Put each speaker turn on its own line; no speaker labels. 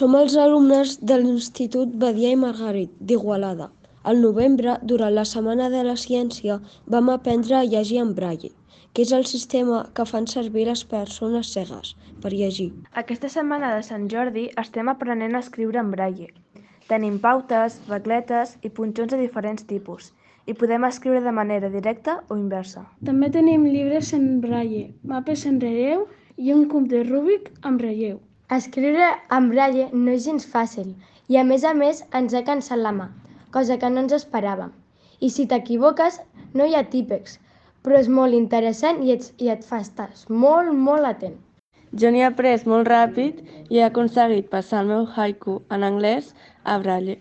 Som els alumnes de l'Institut Badia i Margarit, d'Igualada. Al novembre, durant la Setmana de la Ciència, vam aprendre a llegir en braille, que és el sistema que fan servir les persones cegues per llegir.
Aquesta setmana de Sant Jordi estem aprenent a escriure en braille. Tenim pautes, regletes i punxons de diferents tipus, i podem escriure de manera directa o inversa.
També tenim llibres en braille, mapes en relleu i un cub de Rubik amb relleu.
Escriure en braille no és gens fàcil i a més ens ha cansat la mà, cosa que no ens esperàvem. I si t'equivoques no hi ha típex, però és molt interessant i et fa estar molt atent.
Jo n'he après molt ràpid i he aconseguit passar el meu haiku en anglès a braille.